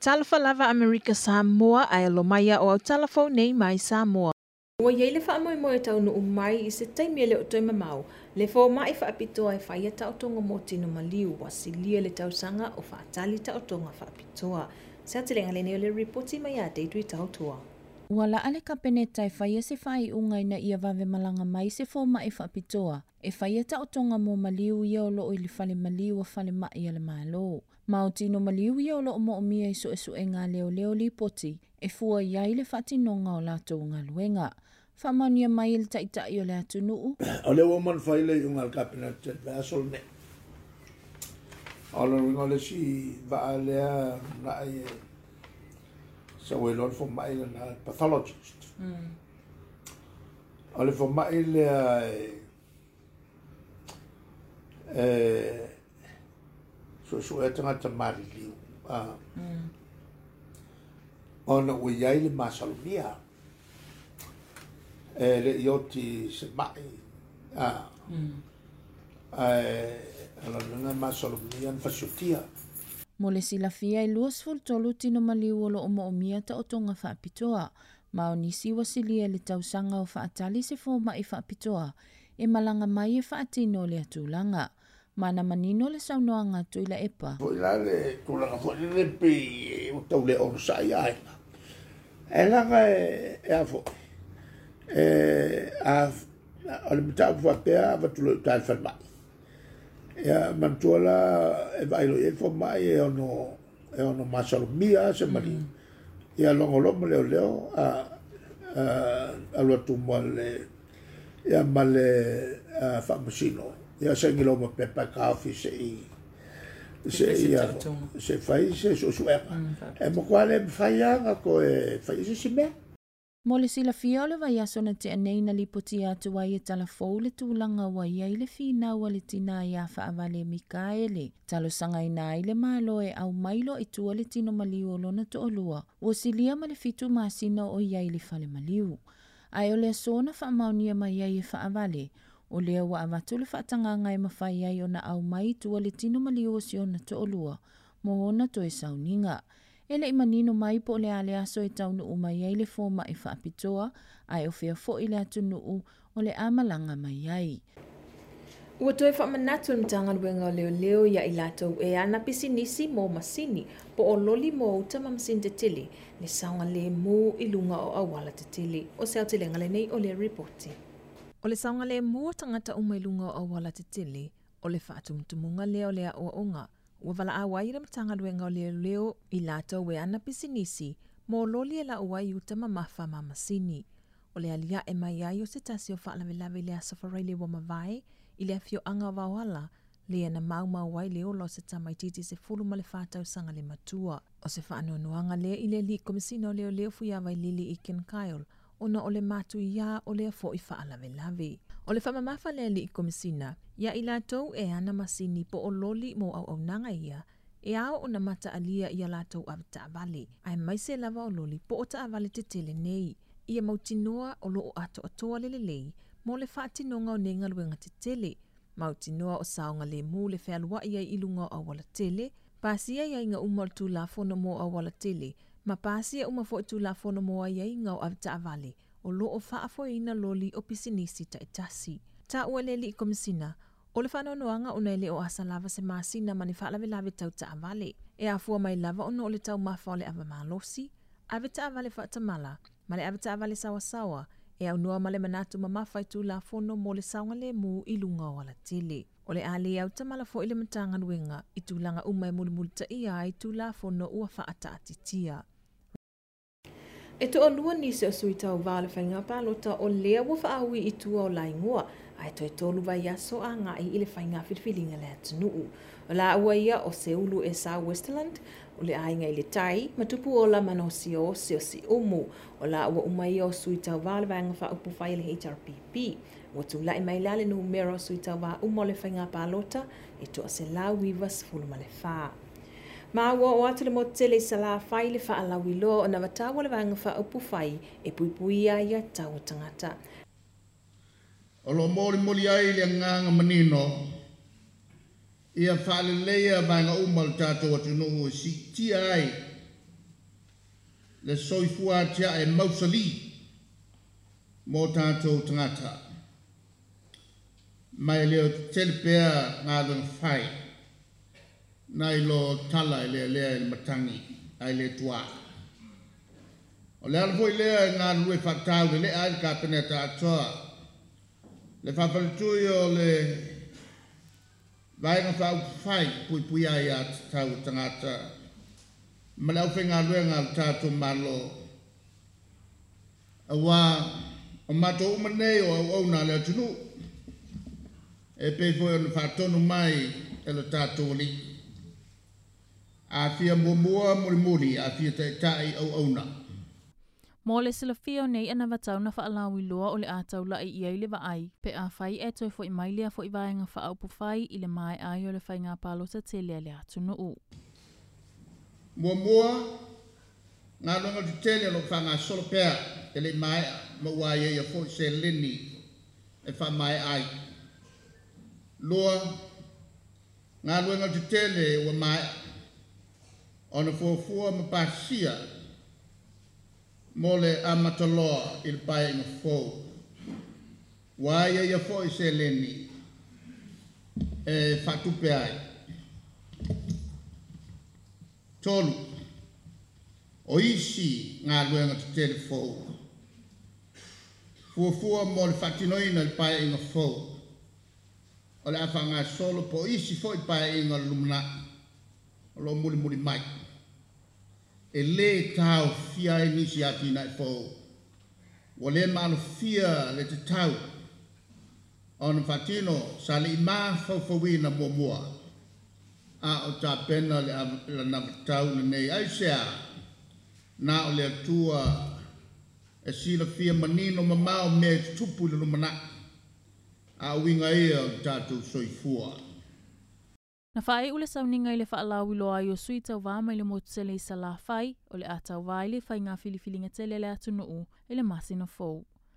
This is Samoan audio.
Talofa lava Amerika Samoa ae alo mai a o au tala fou nei mai Samoa. Ua i ai le faamoemoe e taunuu mai i se taimi e le o toe mamao le fomai faapitoa e faia taotoga mo tino maliu ua silia le tausaga o faatali taotoga faapitoa. Se aotelega lenei o le ripoti mai ia Deidre Tautua. Ua laa le Kapeneta e faia se faaiuga ina ia vave malaga mai se fomai faapitoa e faia taotoga mo maliu ia o loo i le fale maliu a falemai a le Malo. Ma o tino maliu ia o loo moomia i suesuega a leoleo lipoti e fua i ai le faatinoga o latou galuega. Faamaonia mai e le Taitai o le atunuu. O lea ua uma ona fai le iuga a le Kapeneta i le vaiaso lenei. O le uiga o le isi vaa lea lumanai e sau ai loa le fomai lena, le pathologist. O le fomai lea e suesuea tagata maliliu ona ua i ai le masalomia e le i oti se mai, ae o lona uiga e masalomia ona fasiotia. Mo le silafia e 23 tino maliu o loo moomia taotoga faapitoa, ma o nisi ua silia i le tausaga o faatali se fomai faapitoa e malaga mai e faatino lea tulaga. Ma na manino le saunoaga a Tuilaepa. Foi la le tulaga foi lele pei ua tau le onosai aiga. Ae leaga e a foi, e a, o le mataupu faapea avatu loa i uta i le falemai. Ia manatua la e vaai loa i ai le fomai e ono masalomia se maliu. Ia logo loa ma leoleo alu atu ma le ia ma le faamasino ia saini loa ma pepa e taofi se i se fai se suesuega. E matua le mafai lava ona toe fai i se isi mea. Mo le silafia o le vaiaso na tea nei na lipotia atu ai e tala fou le tulaga ua i ai le finau a le tinā iā Faavale Mikaele, talosagaina ai le Malo e aumai loa i tua le tino maliu o lona toalua ua silia ma le 7 masina o i ai i le fale maliu. Ae o le aso na faamaonia mai ai e Faavale, o lea ua avatu le faatagaga e mafai ai ona aumai i tua le tino maliu o si ona toalua mo ona toe sauniga. E le i manino mai po o le a le aso e taunuu mai ai le fomai faapitoa, ae o fea foi le atunuu o le a malaga mai ai. Ua toe faamanatu le Matagaluega o Leoleo ia i latou e ana pisinisi mo masini po o loli mo uta ma masini tetele le saogalemu i luga o auala tetele. O se aotelega lenei o le ripoti. O le saogalemu o tagata uma i luga o auala tetele, o le faatumutumuga lea o le aoaoga ua valaau ai le Matagaluega o Leoleo i latou e ana pisinisi mo loli e lau ai uta mamafa ma masini. O le aliae mai ai o se tasi o faalavelave i le aso Faraile ua mavae i le afioaga o Vaoala, lea na maumau ai le ola o se tamaitiiti 14 tausaga le matua. O se faanoanoaga lea i le alii Komesina o Leoleo Fuiavailili i Ken Kyle, ona o le matuiā o lea foi faalavelave. O le faamamafa le alii Komesina, ia i latou e ana masini po o loli mo auaunaga ia, e ao ona mataalia ia latou avetaavale, aemaise lava o loli po o taavale tetele nei. Ia mautinoa o loo atoatoa le lelei mo le faatinoga o nei galuega tetele. Mautinoa o saogalemu le fealuai ai i luga o auala tele, pasia aiaiga uma o le Tulafono mo auala tele, ma pasia uma foi Tulafono mo aiaiga o avetaavale o loo faafoeina loli o pisinisi taitasi. Taua le alii Komesina, o le faanoanoaga ona e le o asa lava se masina ma ni faalavelave tau taavale. E afua mai lava ona o le taumafa o le ava malosi, avetaavale faatamala, ma le avetaavale saoasaoa, e aunoa ma le manatu mamafa i Tulafono mo le saogalemu i luga o alatele. O le a le autamala foi le Matagaluega i tulaga uma e mulimulitaia ai Tulafono ua faataatitia. E toalua nisi o sui tauva o le faiga palota o lea ua faaui i tua o laigoa, ae toe 3 vaiaso agai i le faiga filifiliga le atunuu. O laua ia o Seulu Esau Westland, o le aiga i le tai, ma Tupuola Manosi o se o Siumu. O laua uma ia o sui tauva o le vaega faaupufai a le HRPP. Ua tulai mai la le numera o sui tauva uma o le faiga palota e 194. Ma ua oo atu le motu tele i Salafai le faalauiloa o navatau o le vaega faaupufai e puipuia ai tau o tagata. O lo molimoli ai le agaga manino ia faaleleia vaega uma o le tatou atunuu e siitia ai Le soifua atiae mausalī mo tatou tagata. Ma e le o tetele pea galuega fai nai lo tala e lealea i le matagi ae le tuā. O le ala foi lea e galulue faataulelea ai le Kapeneta atoa, le faafaletui o le Vaega Faaupufai Puipuia Aia Tatau a Tagata ma le aufaigaluega a le tatou Malo, aua o matou uma nei o auauna a le atunuu, e pei foi ona faatonu mai e lo tatou Alii, A fia muamua mulimuli, a fia taitai auauna. Mo le silafia o nei anavatau na faalauiloa o le a taula'i i ai le vaai pe afai e toe fo'i mai lea fo'i vaega faaupufai i le maea ai o le faiga palota tele a le atunuu. Muamua, galuega tetele o lo o faagasolo pea e le i maea ma ua aiaia foi seleni e faamaea ai. Lua, galuega tetele ua maea ona fuafua ma pasia mo le amata loa i le paeaiga fou. Ua aiaia foi seleni e faatupe ai. 3, o isi galuega tetele fou fuafua mo le faatinoina i le paeaiga fou o le a faagasolo po o isi foi paeaiga o le lumanai o lo o mulimuli mai e lē taofia ai nisi atinae fou ua lē maalofia le tatau ona faatino sa le i mafaufauina muamua a o tapena le anavatau lenei. Aisea? Na o le Atua e silafia manino mamao mea e tutupu i le lumanai, a o uiga ia o le tatou soifua. Na faaiu le sauniga i le faalauiloa ai o sui tauva mai le motu tele i Salafai, o le a tauva ai le faiga filifiliga tele a le atunuu i le masina fou.